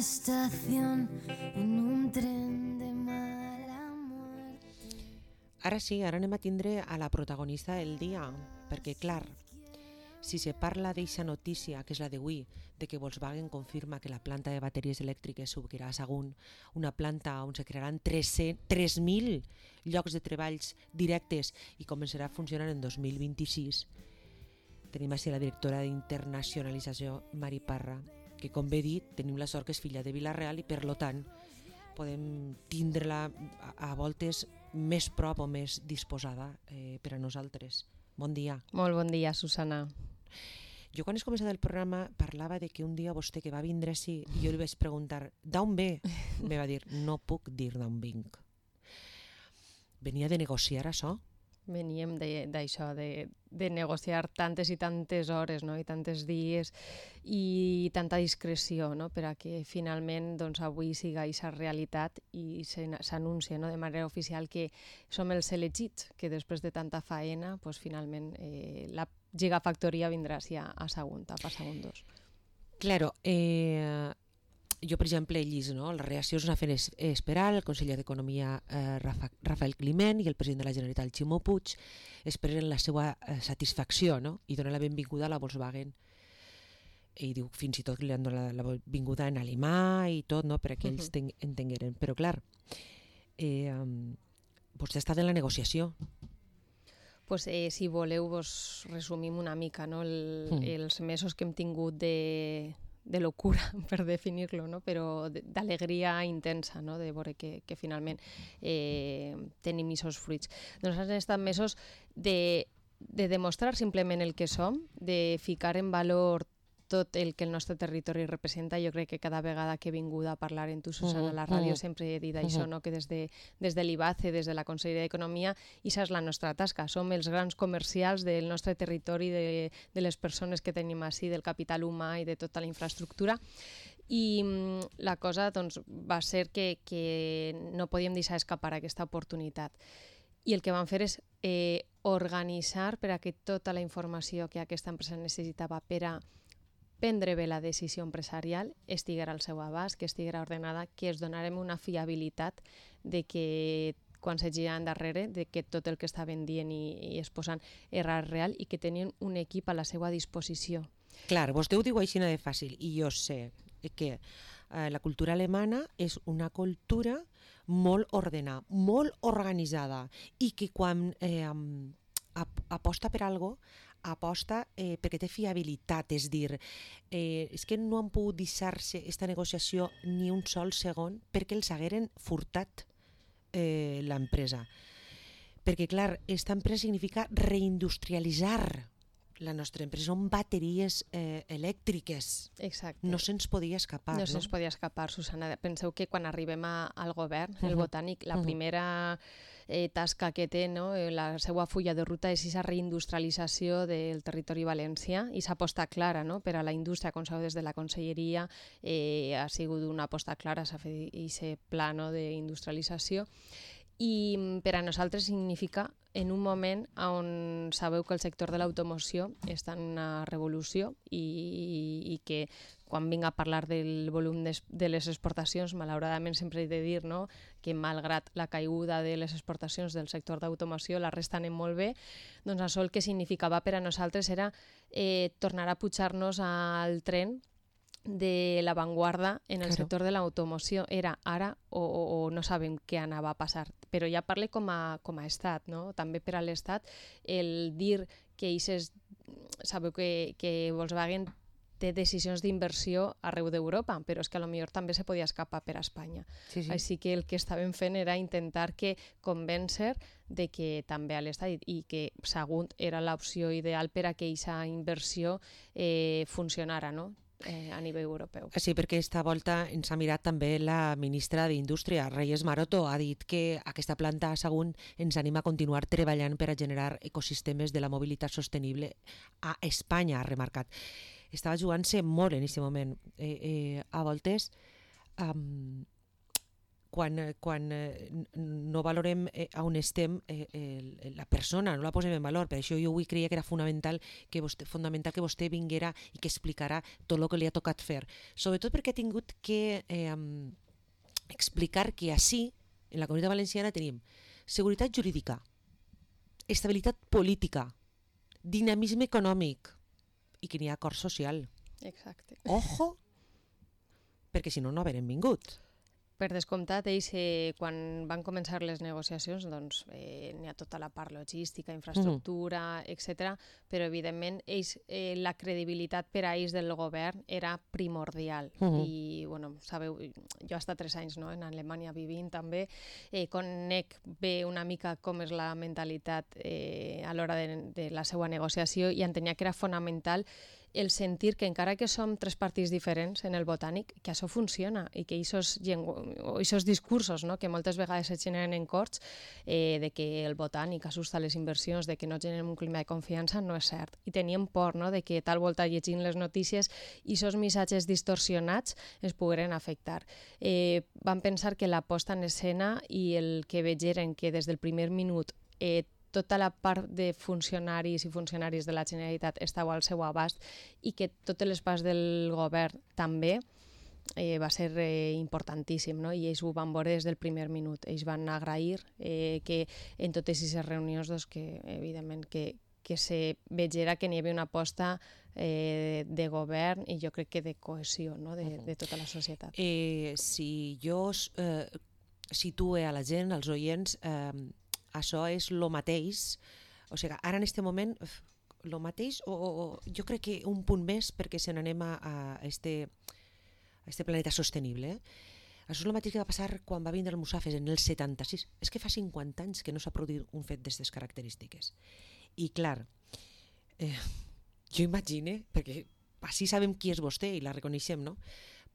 estación en un tren de mala muerte. Ara sí, ara anem a tindre a la protagonista del dia, perquè clar, si se parla d'eixa notícia, que és la d'avui, de que Volkswagen confirma que la planta de bateries elèctriques s'obrirà a Sagunt, una planta on se crearan 3.000 llocs de treballs directes i començarà a funcionar en 2026, tenim així la directora d'internacionalització, Mari Parra, que com bé dit, tenim la sort que és filla de Vila-real i per lo tant podem tindre-la a voltes més prop o més disposada per a nosaltres. Bon dia. Molt bon dia, Susana. Jo quan has començat el programa parlava de que un dia vostè que va vindre així i jo li vaig preguntar d'on ve? Me va dir, no puc dir d'on vinc. Venia de negociar això? Veníem d'això, de negociar tantes i tantes hores, no? I tantes dies i tanta discreció, no? Per a que finalment doncs, avui siga aquesta realitat i s'anuncia, no? De manera oficial que som els elegits, que després de tanta faena doncs, finalment la gigafactoria vindrà a Sagunt, a Sagunt 2. Claro, jo, per exemple, he vist, no? La reacció es va fer esperar, el conseller d'Economia Rafael Climent i el president de la Generalitat, Ximo Puig, esperen la seva satisfacció, no? I donen la benvinguda a la Volkswagen. I diu, fins i tot que li han donat la benvinguda en alemà i tot, no? Per a que ells entengueren. Però, clar, vostè ha estat en la negociació. Pues, si voleu, vos resumim una mica, no? Els mesos que hem tingut de locura, per definir-lo, no? Però d'alegria intensa, no? De veure que finalment tenim aquests fruits. Doncs han estat mesos de demostrar simplement el que som, de ficar en valor tot el que el nostre territori representa. Jo crec que cada vegada que he vingut a parlar en tu, Susana, a la ràdio, sempre he dit això, no? Que des de l'IBACE, des de la Conselleria d'Economia, això és la nostra tasca. Som els grans comercials del nostre territori, de les persones que tenim així, del capital humà i de tota la infraestructura. I la cosa doncs, va ser que no podíem deixar escapar aquesta oportunitat. I el que vam fer és organitzar per a que tota la informació que aquesta empresa necessitava per a prendre bé la decisió empresarial estiguera al seu abast, que estiguera ordenada, que es donarem una fiabilitat de que quan s'hagi endarrere, de que tot el que estaven dient i exposant era real i que tenien un equip a la seva disposició. Clar, vostè ho diu així de fàcil i jo sé que la cultura alemana és una cultura molt ordenada, molt organitzada i que quan aposta per algo aposta perquè té fiabilitat, és dir, és que no han pogut deixar-se aquesta negociació ni un sol segon perquè els hagueren furtat l'empresa. Perquè, clar, aquesta empresa significa reindustrialitzar la nostra empresa, són bateries elèctriques. Exacte. No se'ns podia escapar. No se'ns podia escapar, Susana. Penseu que quan arribem al govern, el Botànic, la primera tasca que té, no? La seva fulla de ruta és aquesta reindustrialització del territori valencià i s'aposta clara, no? Per a la indústria, com sabeu, des de la Conselleria ha sigut una aposta clara, s'ha fet aquest pla, no? D'industrialització. I per a nosaltres significa en un moment on sabeu que el sector de l'automoció està en una revolució i que quan vinc a parlar del volum de les exportacions, malauradament sempre he de dir, no? Que malgrat la caiguda de les exportacions del sector d'automoció, la resta anem molt bé, doncs això el que significava per a nosaltres era tornar a pujar-nos al tren de l'avantguarda en el sector de l'automoció. Era ara o no sabem què anava a passar, però ja parle com a estat, no? També per a l'estat el dir que sabeu que Volkswagen té decisions d'inversió arreu d'Europa, però és que potser també se podia escapar per a Espanya. Sí. Així que el que estàvem fent era intentar convèncer de que també a l'estat i que Sagunt era l'opció ideal per a que aquesta inversió funcionara, no? A nivell europeu. Sí, perquè aquesta volta ens ha mirat també la ministra d'Indústria, Reyes Maroto, ha dit que aquesta planta a Sagunt ens anima a continuar treballant per a generar ecosistemes de la mobilitat sostenible a Espanya, ha remarcat. Estava jugant-se molt en aquest moment. A voltes no valorem on estem la persona, no la posem en valor. Per això jo avui creia que era fonamental que vostè vinguera i que explicara tot el que li ha tocat fer. Sobretot perquè ha tingut que explicar que així, en la Comunitat Valenciana, tenim seguretat jurídica, estabilitat política, dinamisme econòmic i que n'hi ha acord social. Exacte. Ojo! Perquè si no, no haurem vingut. Per descomptat, ells, quan van començar les negociacions, doncs n'hi ha tota la part logística, infraestructura, etc. Però, evidentment, ells, la credibilitat per a ells del govern era primordial. I, bueno, sabeu, jo he estat 3 anys en Alemanya vivint també, conec bé una mica com és la mentalitat a l'hora de la seva negociació i entenia que era fonamental el sentir que encara que som 3 partits diferents en el Botànic, que això funciona i que aquests discursos que moltes vegades es generen en corts de que el Botànic assusta les inversions, de que no generen un clima de confiança, no és cert. I teníem por de que tal volta llegint les notícies i aquests missatges distorsionats es pogueren afectar. Vam pensar que la posta en escena i el que vegeren que des del primer minut tota la part de funcionaris i funcionaris de la Generalitat estava al seu abast i que totes les parts del govern també va ser importantíssim, i ells ho van veure des del primer minut. Ells van agrair que en totes aquestes reunions, que evidentment que se vegera que n'hi havia una aposta de govern i jo crec que de cohesió de tota la societat. Si jo situe a la gent, als oients, això és el mateix, o sigui, ara en aquest moment el mateix, o jo crec que un punt més perquè se n'anem a este planeta sostenible. Això és el mateix que va passar quan va vindre el Musafes en el 76. És que fa 50 anys que no s'ha produït un fet d'aquestes característiques. I clar, jo imagine, perquè així sabem qui és vostè i la reconeixem, no?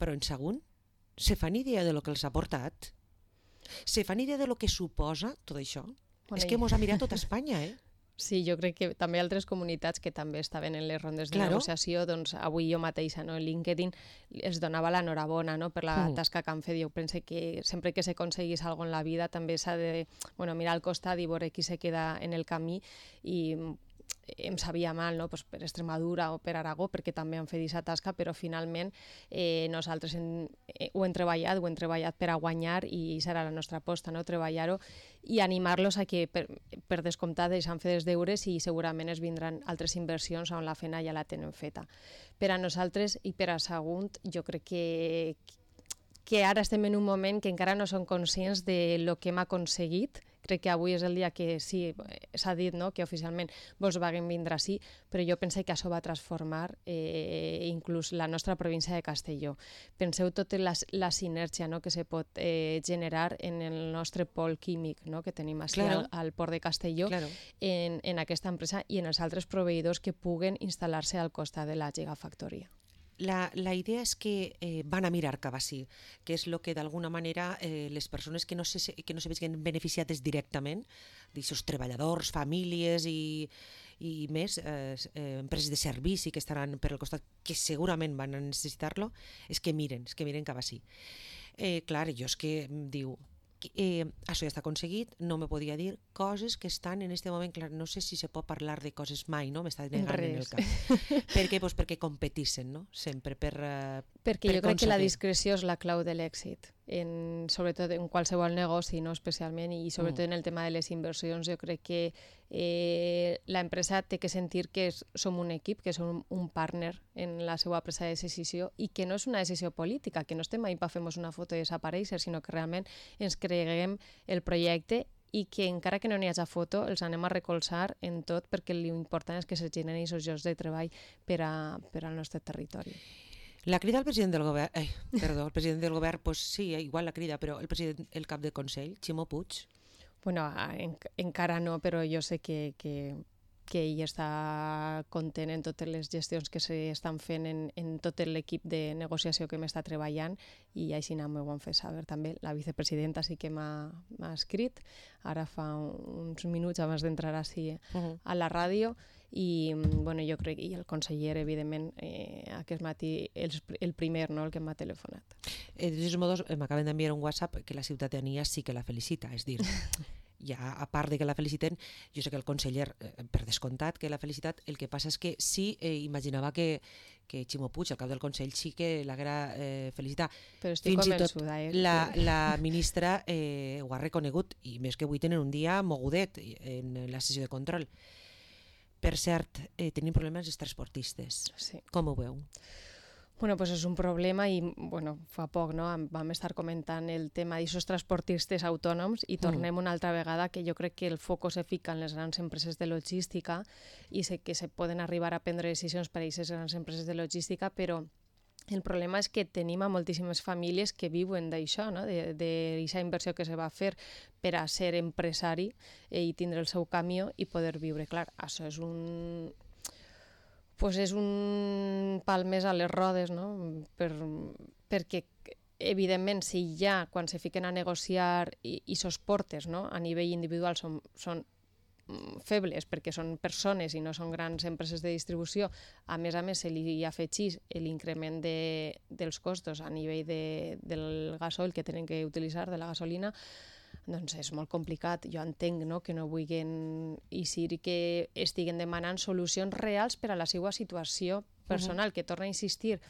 Però en segon, se fan idea de lo que els ha portat? Se fan idea de lo que suposa tot això? És que mos ha mirat tota Espanya, Sí, jo crec que també altres comunitats que també estaven en les rondes de negociació, doncs avui jo mateixa, en LinkedIn, els donava l'enhorabona per la tasca que han fet. Jo penso que sempre que s'aconseguís alguna cosa en la vida també s'ha de mirar al costat i veure qui se queda en el camí, i em sabia mal per Extremadura o per Aragó, perquè també han fet aquesta tasca, però finalment nosaltres ho hem treballat per a guanyar i serà la nostra aposta, treballar-ho i animar-los a que, per descomptat, s'han fet els deures i segurament es vindran altres inversions on la feina ja la tenen feta. Per a nosaltres i per a Sagunt, jo crec que ara estem en un moment que encara no som conscients de lo que hem aconseguit. Crec que avui és el dia que sí, s'ha dit que oficialment Volkswagen vindrà sí, però jo penso que això va transformar inclús la nostra província de Castelló. Penseu tota la sinergia que se pot generar en el nostre pol químic que tenim així al port de Castelló, en aquesta empresa i en els altres proveïdors que puguen instal·lar-se al costat de la Gigafactoria. La idea és que van a mirar cap així, que és el que d'alguna manera les persones que no se vegin beneficiades directament, d'aquests treballadors, famílies i més, empreses de servici que estaran per al costat, que segurament van a necessitar-lo, és que miren cap així. Clar, jo és que diu, això ja està aconseguit, no me podia dir coses que estan en aquest moment, clar, no sé si se pot parlar de coses mai, m'està negant en el cap. Per què? Perquè competissen, sempre perquè jo crec que la discreció és la clau de l'èxit, sobretot en qualsevol negoci, especialment, i sobretot en el tema de les inversions. Jo crec que l'empresa té que sentir que som un equip, que som un partner en la seva presa de decisió i que no és una decisió política, que no estem ahí per fer-nos una foto i desaparèixer, sinó que realment ens creguem el projecte i que encara que no n'hi hagi foto els anem a recolzar en tot, perquè l'important és que se generen aquests llocs de treball per al nostre territori. La crida al president del govern, el president del govern, pues sí, igual la crida, però el cap de Consell, Ximo Puig. Bueno, encara no, però jo sé que que ell està content en totes les gestions que s'estan fent en tot l'equip de negociació que m'està treballant, i així m'ho han fet saber també. La vicepresidenta sí que m'ha escrit, ara fa uns minuts abans d'entrar així a la ràdio, i bueno, jo crec que el conseller, evidentment, aquest matí, el primer, no?, el que m'ha telefonat. De todos modos, m'acaben d'enviar un WhatsApp que la ciutadania sí que la felicita, és dir, ja a part de que la feliciten, jo sé que el conseller, per descomptat que l'ha felicitat, el que passa és que sí, imaginava que Ximo Puig, el cap del Consell, sí que l'haguera felicitat. Però estic convençuda. La ministra ho ha reconegut, i més que avui tenen un dia mogudet en la sessió de control. Per cert, tenim problemes els transportistes. Sí. Com ho veu? Bueno, pues és un problema, i bueno, fa poc, no?, vam estar comentant el tema d'aquests transportistes autònoms, i tornem una altra vegada que jo crec que el foc se fica en les grans empreses de logística, i sé que se poden arribar a prendre decisions per a aquestes grans empreses de logística, però el problema és que tenim a moltíssimes famílies que viuen d'això, no?, d'aquesta inversió que se va fer per a ser empresari i tindre el seu camió i poder viure. Clar, això és un pal més a les rodes, no?, perquè evidentment si ja quan se fiquen a negociar i sos portes, no?, a nivell individual són febles perquè són persones i no són grans empreses de distribució, a més se li afegís l'increment dels costos a nivell del gasoil que tenen que utilitzar, de la gasolina, doncs és molt complicat. Jo entenc, no?, que no vulguin eixir i que estiguen demanant solucions reals per a la seva situació personal, que torna a insistir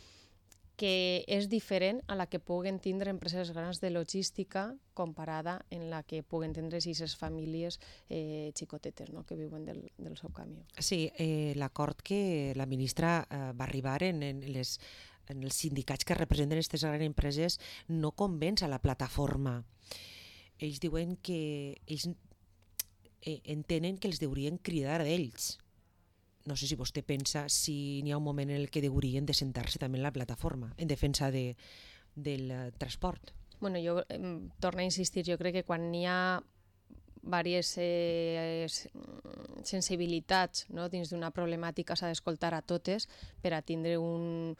que és diferent a la que puguen tindre empreses grans de logística comparada en la que puguen tindre aquestes famílies xicotetes, no?, que viuen del seu camió. Sí, l'acord que la ministra va arribar en els sindicats que representen aquestes grans empreses no convenç a la plataforma. Ells diuen que ells entenen que els deurien cridar d'ells. No sé si vostè pensa si n'hi ha un moment en el que deurien de sentar-se també en la plataforma en defensa del transport. Bueno, jo torno a insistir, jo crec que quan n'hi ha diverses sensibilitats, no?, dins d'una problemàtica s'ha d'escoltar a totes per a tindre un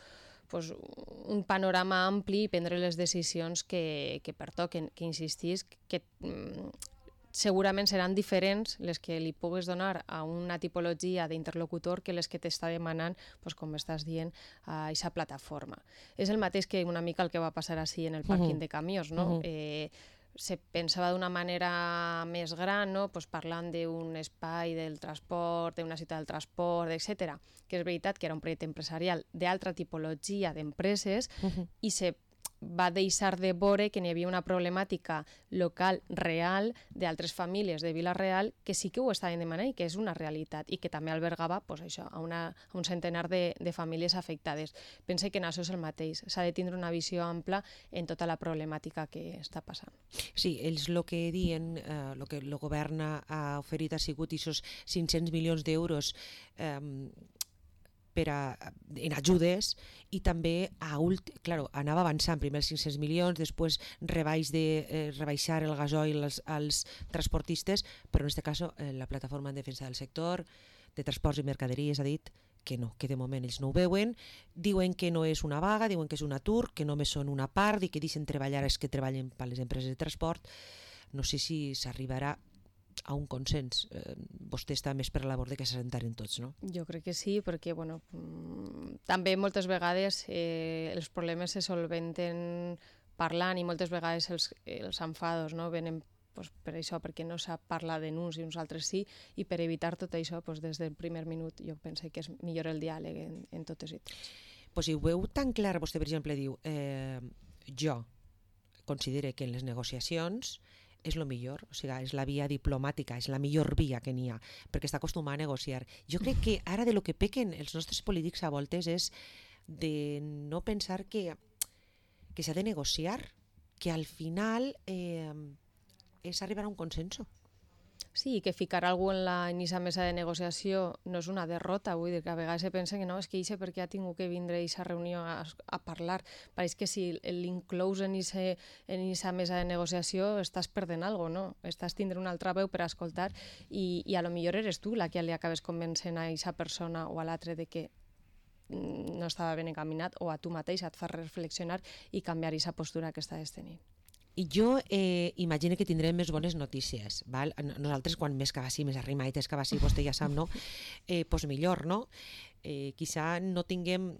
panorama ampli i prendre les decisions que pertoquen, que insistís que segurament seran diferents les que li pugues donar a una tipologia d'interlocutor que les que t'està demanant, com estàs dient, a aquesta plataforma. És el mateix que una mica el que va passar així en el pàrquing de camions, no? Se pensava d'una manera més gran, no?, parlant d'un espai del transport, d'una ciutat del transport, etc. Que és veritat que era un projecte empresarial d'altra tipologia d'empreses i se va deixar de veure que n'hi havia una problemàtica local real d'altres famílies de Vila-real que sí que ho estaven demanant i que és una realitat i que també albergava a un centenar de famílies afectades. Pense que en això és el mateix. S'ha de tindre una visió ampla en tota la problemàtica que està passant. Sí, ells el que diuen, el que el govern ha oferit ha sigut aquests 500 milions d'euros en ajudes i també anava avançant, primer els 500 milions, després rebaixar el gasoil als transportistes, però en aquest cas la plataforma en defensa del sector de transports i mercaderies ha dit que no, que de moment ells no ho veuen, diuen que no és una vaga, diuen que és un atur, que només són una part i que deixen treballar els que treballen per les empreses de transport. No sé si s'arribarà a un consens. Vostè està més per la labor de que s'assentaren tots, no? Jo crec que sí, perquè també moltes vegades els problemes se solventen parlant i moltes vegades els enfados venen per això, perquè no sap parlar de uns i uns altres sí, i per evitar tot això, des del primer minut jo penso que és millor el diàleg en totes i tots. Si ho veu tan clar, vostè per exemple diu jo considero que en les negociacions és el millor, o sigui, és la via diplomàtica, és la millor via que n'hi ha, perquè està acostumat a negociar. Jo crec que ara de lo que pequen els nostres polítics a voltes és de no pensar que s'ha de negociar, que al final és arribar a un consenso. Sí, que ficar algú en aquesta mesa de negociació no és una derrota, vull dir que a vegades se pensa que no, és que eixe perquè ha tingut que vindre a aquesta reunió a parlar. Pareix que si l'inclous en aquesta mesa de negociació estàs perdent alguna cosa, no? Estàs tindre una altra veu per a escoltar i a lo millor eres tu la que li acabes convencent a aquesta persona o a l'altre de que no estava ben encaminat, o a tu mateix et fa reflexionar i canviar aquesta postura que estàs tenint. I jo imagino que tindrem més bones notícies, val? Nosaltres quan més cabassi, més arrimadetes cabassi, vostè ja sap, no? Pues millor, no? Quizà no tinguem,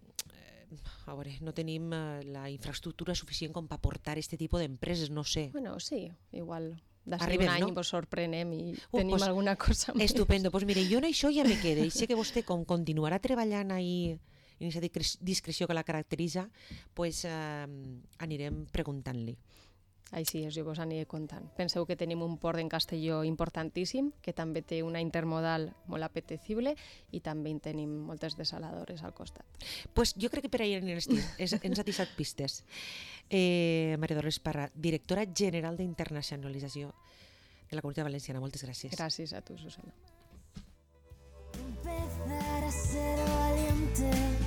a veure, no tenim la infraestructura suficient com per portar aquest tipus d'empreses, no sé. Bueno, sí, igual d'ací Arribem, un any no? Vos sorprenem i tenim pues, alguna cosa més. Estupendo, doncs mire, jo en això ja me quedo, i sé que vostè com continuarà treballant ahí en aquesta discreció que la caracteritza, pues anirem preguntant-li. Així és, jo vos aniré contant. Penseu que tenim un port en Castelló importantíssim, que també té una intermodal molt apetecible i també en tenim moltes desaladores al costat. Pues jo crec que per ahir ens ha deixat pistes. Maria Dolors Parra, directora general d'internacionalització de la Comunitat Valenciana. Moltes gràcies. Gràcies a tu, Susana. Empezar a ser valiente.